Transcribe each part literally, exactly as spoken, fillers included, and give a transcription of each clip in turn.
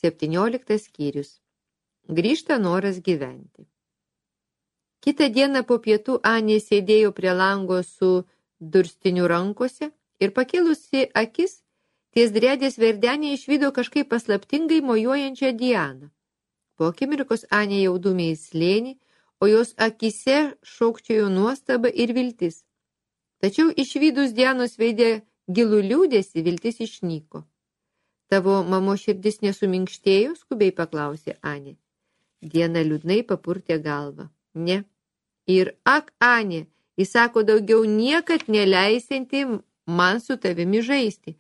septynioliktas skyrius. Grįžta noras gyventi. Kitą dieną po pietų Anė sėdėjo prie lango su durstiniu rankose ir pakėlusi akis, ties dredės verdenė išvydo kažkaip paslaptingai mojuojančią Dianą. Po akimirkos Anė jau dūmė į slėnį, o jos akise šokčiojo nuostaba ir viltis. Tačiau išvydus Dianos veide gilų liūdėsi, viltis išnyko. Tavo mamo širdis nesuminkštėjo, skubiai paklausė Anė. Diana liūdnai papurtė galvą. Ne. Ir ak, Anė, jis sako daugiau niekad neleisinti man su tavimi žaisti.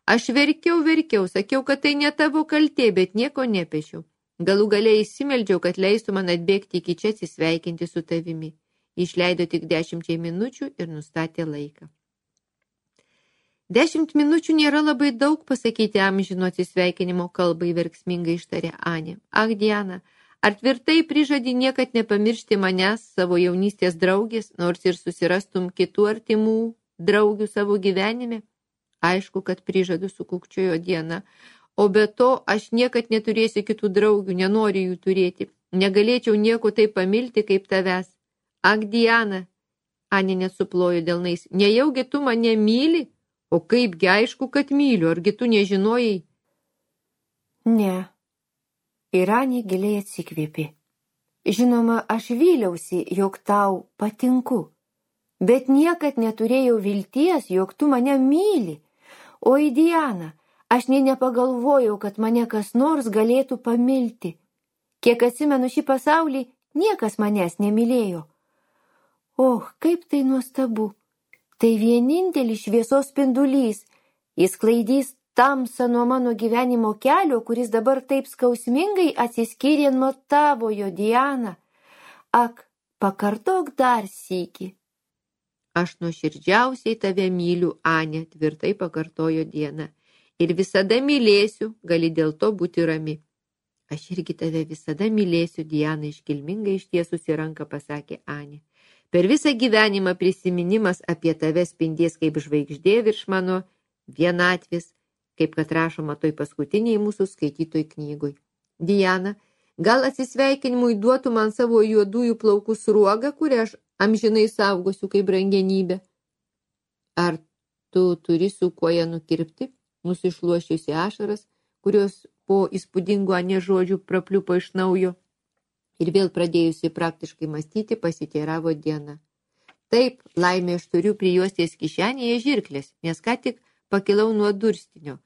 Aš verkiau, verkiau, sakiau, kad tai ne tavo kaltė, bet nieko nepešiau. Galų galiai įsimeldžiau, kad leistų man atbėgti iki čia atsisveikinti su tavimi. Išleido tik dešimčiai minučių ir nustatė laiką. Dešimt minučių nėra labai daug, pasakyti amžino atsisveikinimo kalbai, verksmingai ištarė Anė. Ak, Diana, ar tvirtai prižadi niekad nepamiršti manęs, savo jaunystės draugės, nors ir susirastum kitų artimų draugių savo gyvenime? Aišku, kad prižadu, sukūkčiojo Diana. O be to, aš niekad neturėsiu kitų draugių, nenoriu jų turėti. Negalėčiau nieko taip pamilti kaip tavęs. Ak, Diana, Anė nesuplojo delnais, nejaugi tu mane myli? O kaipgi aišku, kad myliu, argi tu nežinojai? Ne. Ir Anė giliai atsikvėpė. Žinoma, aš vyliausi, jog tau patinku, bet niekad neturėjau vilties, jog tu mane myli. Oi, Diana, aš nė nepagalvojau, kad mane kas nors galėtų pamilti. Kiek atsimenu šį pasaulį, niekas manęs nemylėjo. Oh, kaip tai nuostabu. Tai vienintelis šviesos spindulys. Jis klaidys tamsą nuo mano gyvenimo kelio, kuris dabar taip skausmingai atsiskyrė nuo tavojo, Diana. Ak, pakartok dar sykį. Aš nuoširdžiausiai tave myliu, Anė, tvirtai pakartojo Diana. Ir visada mylėsiu, gali dėl to būti rami. Aš irgi tave visada mylėsiu, Diana iškilmingai ištiesusi ranką pasakė Anė. Per visą gyvenimą prisiminimas apie tave spindės kaip žvaigždė virš mano vienatvės, kaip kad rašoma toj paskutiniai mūsų skaitytoj knygoj. Diana, gal atsisveikinimui duotų man savo juodųjų plaukų sruogą, kurią aš amžinai saugosiu kaip brangenybę? Ar tu turi su kuo ją nukirpti? Nusišluošiusi ašaras, kurios po įspūdingo Anė žodžių prapliupo iš naujo. Ir vėl pradėjusi praktiškai mąstyti, pasiteiravo Diana. Taip, laimė, aš turiu prijuostės kišenėje žirklės, nes ką tik pakilau nuo durstinio,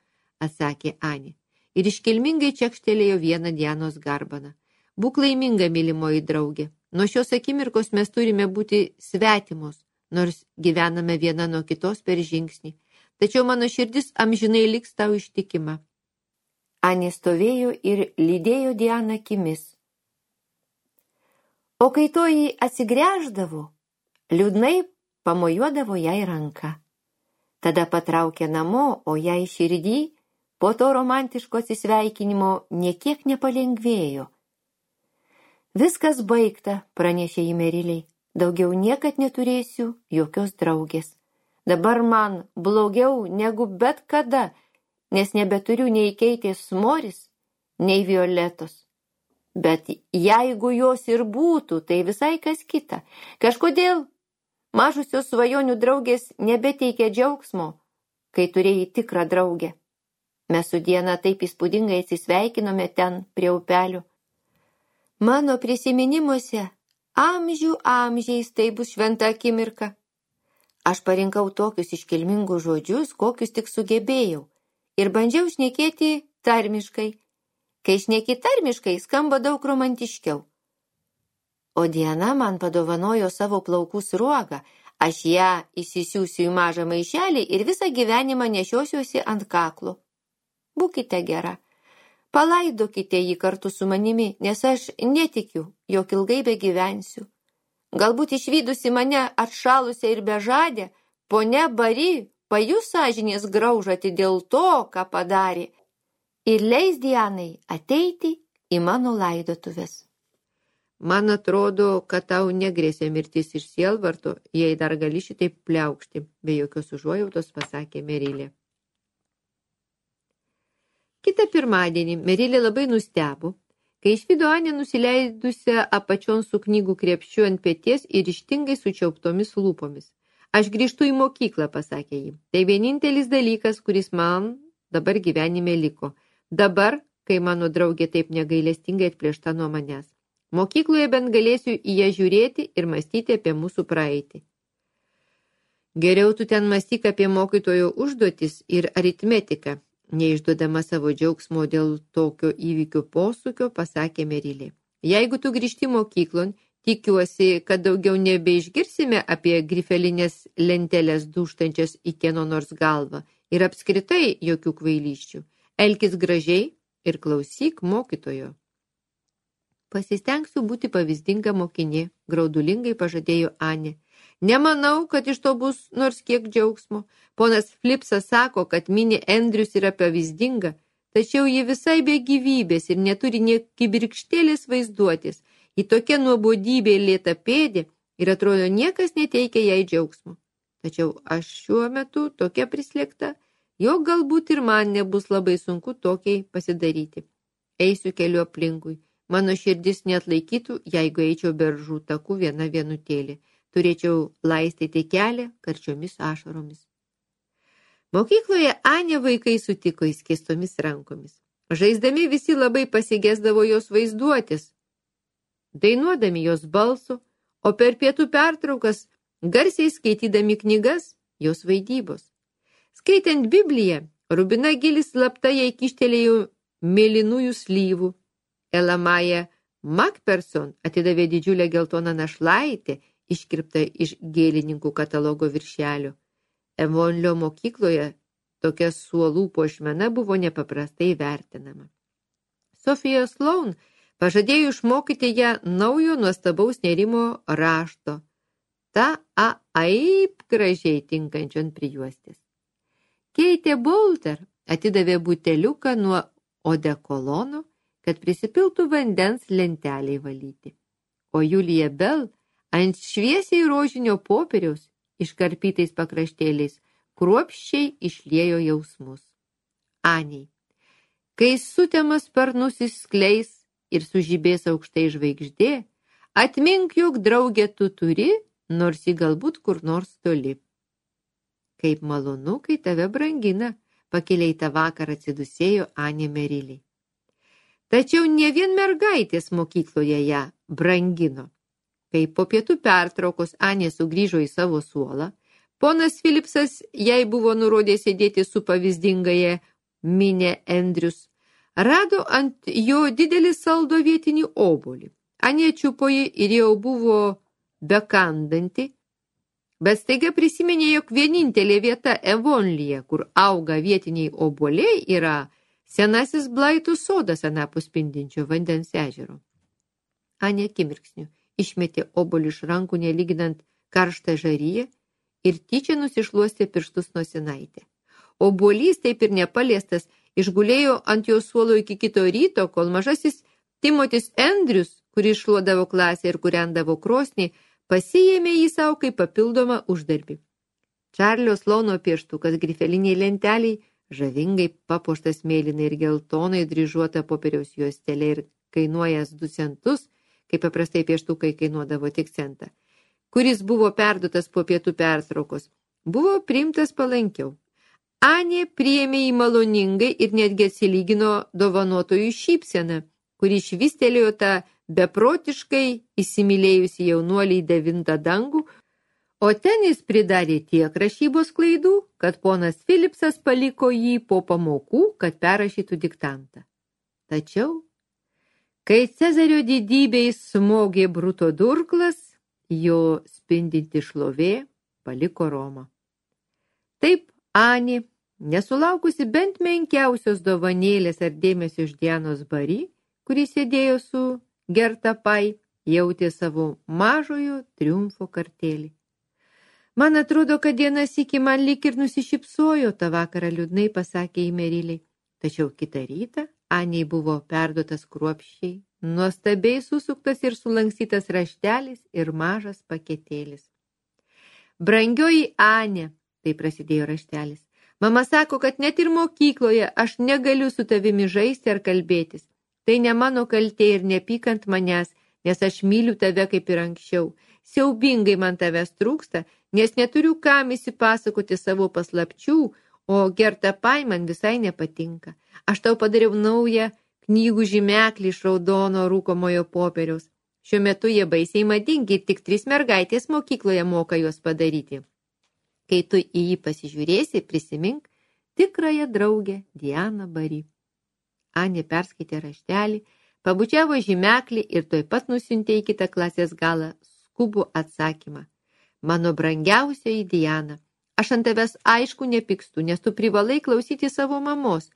atsakė Anė. Ir iškilmingai čekštelėjo vieną Dianos garbaną. Būk laiminga, mylimoji draugė. Nuo šios akimirkos mes turime būti svetimos, nors gyvename viena nuo kitos per žingsnį. Tačiau mano širdis amžinai liks tau ištikima. Anė stovėjo ir lydėjo Dianą akimis. O kai toji atsigręždavo, liūdnai pamojuodavo jai ranką. Tada patraukė namo, o jai širdį po to romantiško atsisveikinimo niekiek nepalengvėjo. Viskas baigta, pranešė ji Meriliai. Daugiau niekad neturėsiu jokios draugės. Dabar man blogiau negu bet kada, nes nebeturiu nei Keitės Moris, nei Violetos. Bet jeigu jos ir būtų, tai visai kas kita. Kažkodėl mažusios svajonių draugės nebeteikia džiaugsmo, kai turėjai tikrą draugę. Mes su Diana taip įspūdingai atsisveikinome ten prie upelio. Mano prisiminimuose amžių amžiais tai bus šventa akimirka. Aš parinkau tokius iškilmingus žodžius, kokius tik sugebėjau, ir bandžiau šnekėti tarmiškai. Kai šneki tarmiškai, skamba daug romantiškiau. O Diana man padovanojo savo plaukų sruogą, aš ją įsisiųsiu į mažą maišelį ir visą gyvenimą nešiosiuosi ant kaklo. Būkite gera, palaidokite jį kartu su manimi, nes aš netikiu, jog ilgai begyvensiu. Galbūt išvydusi mane atšalusią ir bežadę, ponia Bari pajus sąžinės graužatį dėl to, ką padarė, ir leis Dianai ateiti į mano laidotuves. Man atrodo, kad tau negrėsė mirtis iš sielvarto, jei dar gali šitaip pliaukšti, be jokios užuojautos pasakė Merilė. Kitą pirmadienį Merilė labai nustebo, kai išvydo Anę nusileidusią apačion su knygų krepšiu ant peties ir ryžtingai sučiauptomis lūpomis. Aš grįžtu į mokyklą, pasakė ji. Tai vienintelis dalykas, kuris man dabar gyvenime liko. Dabar, kai mano draugė taip negailestingai atplėšta nuo manęs. Mokykloje bent galėsiu į ją žiūrėti ir mąstyti apie mūsų praeitį. Geriau tu ten mąstyk apie mokytojo užduotis ir aritmetiką, neišduodama savo džiaugsmo dėl tokio įvykio posūkio, pasakė Merilė. Jeigu tu grįžti mokyklon, tikiuosi, kad daugiau nebeišgirsime apie grifelinės lentelės dūštančias į kieno nors galvą ir apskritai jokių kvailysčių. Elkis gražiai ir klausyk mokytojo. Pasistengsiu būti pavyzdinga mokinė, graudulingai pažadėjo Anė. Nemanau, kad iš to bus nors kiek džiaugsmo. Ponas Flipsas sako, kad mini Andrius yra pavyzdinga, tačiau ji visai be gyvybės ir neturi nė kibirkštėlės vaizduotis. Į tokia nuobodybė lėta pėdė ir atrodo niekas neteikia jai džiaugsmo. Tačiau aš šiuo metu tokia prislėgta, jog galbūt ir man nebus labai sunku tokiai pasidaryti. Eisiu keliu aplinkui. Mano širdis neatlaikytų, jeigu eičiau beržų taku viena vienutėlė. Turėčiau laistyti kelią karčiomis ašaromis. Mokykloje Anę vaikai sutiko įskėstomis rankomis. Žaisdami visi labai pasigesdavo jos vaizduotis, dainuodami jos balsu, o per pietų pertraukas garsiai skaitydami knygas jos vaidybos. Skaitant Bibliją, Rubina Gilis slapta jai kištelėjo mėlynųjų slyvų. Elamaja Macpherson atidavė didžiulę geltoną našlaitę, iškirptą iš gėlininkų katalogo viršelio. Evonlio mokykloje tokia suolų puošmena buvo nepaprastai vertinama. Sofija Sloan pažadėjo išmokyti ją naujo nuostabaus nerimo rašto, ta a aip gražiai tinkančion prijuostės. Keitė Bolter atidavė buteliuką nuo odekolono, kad prisipiltų vandens lenteliai valyti. O Julija Bell ant šviesiai rožinio popieriaus iškarpytais pakraštėliais kruopščiai išliejo jausmus. Anei, kai sutemas sparnus išskleis ir sužibės aukštai žvaigždė, atmink, jog draugę tu turi, nors ji galbūt kur nors toli. Kaip malonu, kai tave brangina, pakiliai tą vakarą atsidusėjo Anė Merilė. Tačiau ne vien mergaitės mokykloje ją brangino. Kai po pietų pertraukos Anė sugrįžo į savo suolą, ponas Philipsas jai buvo nurodęs sėdėti su pavyzdingaja minė Andrius, rado ant jo didelį saldo vietinį obuolį. Anė čiupo jį ir jau buvo bekandanti, bet staiga prisiminė, jog vienintelė vieta Evonlyje, kur auga vietiniai obuoliai, yra senasis Blaitų sodas anapus spindinčio vandens ežero. Anė akimirksniu išmetė obuolį iš rankų, nelyginant karštą žaryje, ir tyčia nusišluostė pirštus nosinaitę. Obuolys, taip ir nepaliestas, išgulėjo ant jo suolo iki kito ryto, kol mažasis Timotis Andrius, kuris šluodavo klasę ir kūrendavo krosnį, pasiėmė jį savo kaip papildomą uždarbį. Čarlio Sloano pieštukas grifeliniai lenteliai, žavingai papuoštas mėlynai ir geltonai dryžuota popieriaus juostelė ir kainuojas du centus, kaip paprastai pieštukai kainuodavo tik centą, kuris buvo perduotas po pietų pertraukos, buvo priimtas palankiau. Anė priėmė jį maloningai ir netgi atsilygino dovanotojų šypseną, kuri švystelėjo tą beprotiškai įsimylėjusi jaunuolį į devintą dangų, o ten jis pridarė tiek rašybos klaidų, kad ponas Philipsas paliko jį po pamokų, kad perrašytų diktantą. Tačiau, kai Cezario didybei smogė Bruto durklas, jo spindinti šlovė paliko Romą. Taip Anė, nesulaukusi bent menkiausios dovanėlės ar dėmesio iš Dianos Bari, kuris sėdėjo su Gerta Pai, jautė savo mažojo triumfo kartėlį. Man atrodo, kad Diana sykį man lyg ir nusišypsojo, tą vakarą liūdnai pasakė į Merilį. Tačiau kitą rytą Anei buvo perduotas kruopščiai, nuostabiai susuktas ir sulankstytas raštelis ir mažas paketėlis. Brangioji Anė, tai prasidėjo raštelis, Mama sako, kad net ir mokykloje aš negaliu su tavimi žaisti ar kalbėtis. Tai ne mano kaltė ir nepykant manęs, nes aš myliu tave kaip ir anksčiau. Siaubingai man tavęs trūksta, nes neturiu kam įsipasakoti savo paslapčių, o Gerta Pai man visai nepatinka. Aš tau padariau naują knygų žymeklį iš raudono rūkomojo popieriaus. Šiuo metu jie baisiai madingi ir tik trys mergaitės mokykloje moka juos padaryti. Kai tu į jį pasižiūrėsi, prisimink tikrąją draugę Dianą Bari. Anė perskaitė raštelį, pabučiavo žymeklį ir tuoj pat nusiuntė į kitą klasės galą skubų atsakymą. Mano brangiausioji Diana, aš ant tavęs aišku nepykstu, nes tu privalai klausyti savo mamos,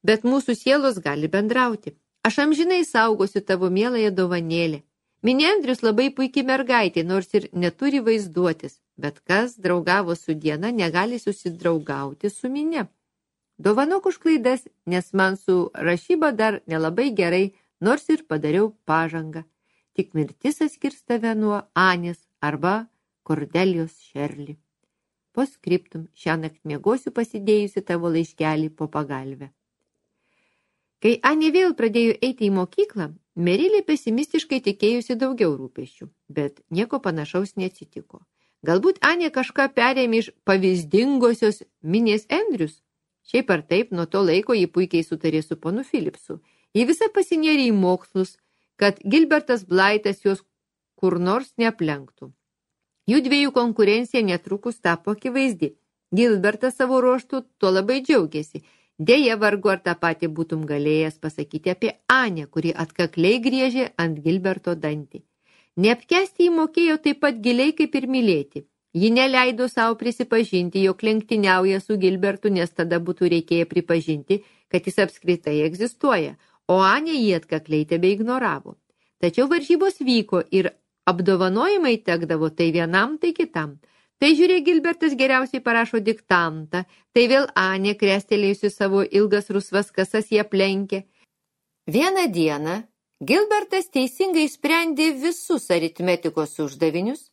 bet mūsų sielos gali bendrauti. Aš amžinai saugosiu tavo mieląją dovanėlę. Minė Andrius labai puikiai mergaitė, nors ir neturi vaizduotis, bet kas draugavo su Diana, negali susidraugauti su Minė. Dovanok už klaidas, nes man su rašyba dar nelabai gerai, nors ir padariau pažangą. Tik mirtis atskirs tave nuo Anės arba Kordelijos Šerli. Po skriptum, šiąnakt miegosiu pasidėjusi tavo laiškelį po pagalvę. Kai Anė vėl pradėjo eiti į mokyklą, Merilė pesimistiškai tikėjusi daugiau rūpesčių, bet nieko panašaus neatsitiko. Galbūt Anė kažką perėmė iš pavyzdingosios Minės Andrius. Šiaip ar taip, nuo to laiko ji puikiai sutarė su ponu Philipsu. Ji visą pasinėrė į mokslus, kad Gilbertas Blaitas jos kur nors neaplenktų. Jų dviejų konkurencija netrukus tapo akivaizdi. Gilbertas savo ruožtu tuo labai džiaugiasi. Deja, vargu ar tą patį būtum galėjęs pasakyti apie Anę, kuri atkakliai griežė ant Gilberto dantį. Neapkęsti jį mokėjo taip pat giliai kaip ir mylėti. Ji neleido savo prisipažinti, jog lenktyniauja su Gilbertu, nes tada būtų reikėję pripažinti, kad jis apskritai egzistuoja, o Anė jį atkakliai tebe ignoravo. Tačiau varžybos vyko ir apdovanojimai tekdavo tai vienam, tai kitam. Tai žiūrė, Gilbertas geriausiai parašo diktantą, tai vėl Anė, krestelėjusi savo ilgas rusvas kasas, jie aplenkė. Vieną dieną Gilbertas teisingai sprendė visus aritmetikos uždavinius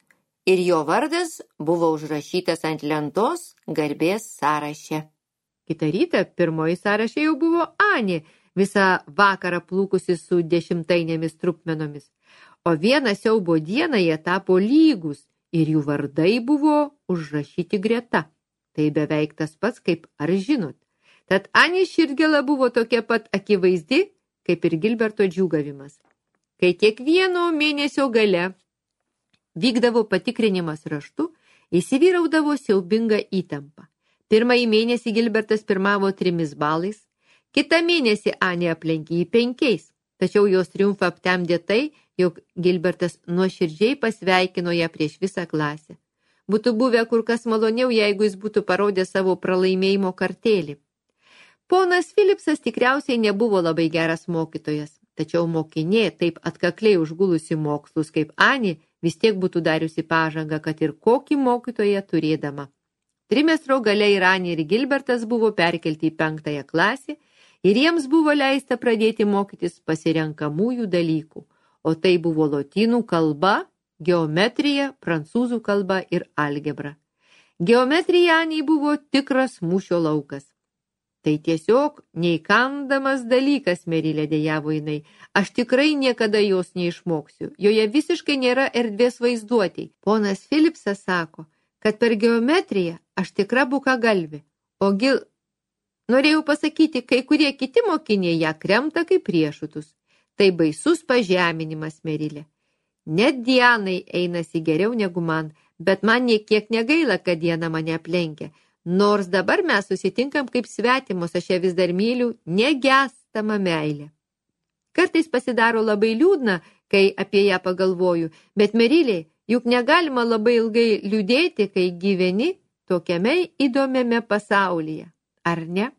ir jo vardas buvo užrašytas ant lentos garbės sąraše. Kitą rytą pirmoji sąraše jau buvo Anė, visą vakarą plūkusi su dešimtainėmis trupmenomis. O vieną siaubo dieną jie tapo lygus ir jų vardai buvo užrašyti greta. Tai beveik tas pats, kaip ar žinot. Tad Anės širdgėla buvo tokia pat akivaizdi, kaip ir Gilberto džiūgavimas. Kai kiekvieno mėnesio gale vykdavo patikrinimas raštu, įsivyraudavo siaubinga įtampa. Pirmąjį mėnesį Gilbertas pirmavo trimis balais, kitą mėnesį Anė aplenkė jį penkiais, tačiau jos triumfą aptemdė tai, jog Gilbertas nuoširdžiai pasveikino ją prieš visą klasę. Būtų buvę kur kas maloniau, jeigu jis būtų parodęs savo pralaimėjimo kartėlį. Ponas Philipsas tikriausiai nebuvo labai geras mokytojas, tačiau mokinė, taip atkakliai užgulusi mokslus kaip Anė, vis tiek būtų dariusi pažangą, kad ir kokį mokytoją turėdama. Trimestro gale ir Anė ir Gilbertas buvo perkelti į penktąją klasę ir jiems buvo leista pradėti mokytis pasirenkamųjų dalykų, o tai buvo lotynų kalba, geometrija, prancūzų kalba ir algebra. Geometrija Anei buvo tikras mūšio laukas. Tai tiesiog neįkandamas dalykas, Merilė, dejavo jinai. Aš tikrai niekada jos neišmoksiu. Joje visiškai nėra erdvės vaizduotei. Ponas Philipsas sako, kad per geometriją aš tikra bukagalvė. O gil... Norėjau pasakyti, kai kurie kiti mokiniai ją kremta kaip riešutus. Tai baisus pažeminimas, Merilė. Net Dianai einasi geriau negu man, bet man nė kiek negaila, kad Diana mane aplenkia. Nors dabar mes susitinkam kaip svetimos, aš ją vis dar myliu, negestama meilė. Kartais pasidaro labai liūdna, kai apie ją pagalvoju, bet Merilė, juk negalima labai ilgai liūdėti, kai gyveni tokiame įdomiame pasaulyje, ar ne?